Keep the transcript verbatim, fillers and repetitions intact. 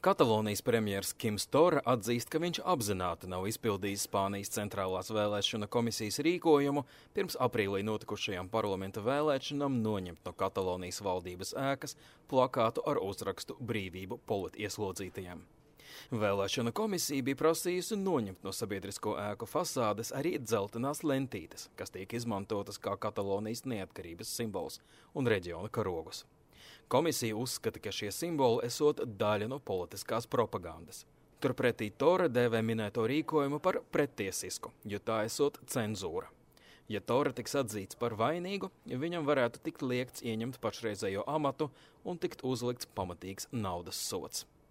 Katalonijas premjers Kims Torra atzīst, ka viņš apzināti nav izpildījis Spānijas centrālās vēlēšana komisijas rīkojumu pirms aprīlī notikušajām parlamenta vēlēšanām noņemt no Katalonijas valdības ēkas plakātu ar uzrakstu "Brīvību politieslodzītajiem". Vēlēšana komisija bija prasījusi noņemt no sabiedrisko ēku fasādes arī dzeltenās lentītes, kas tiek izmantotas kā Katalonijas neatkarības simbols un reģiona karogus. Komisija uzskata, ka šie simboli esot daļa no politiskās propagandas. Turpretī Torra dēvē minēto rīkojumu par prettiesisku, jo tā esot cenzūra. Ja Torra tiks atzīts par vainīgu, viņam varētu tikt liegts ieņemt pašreizējo amatu un tikt uzlikts pamatīgs naudas sods.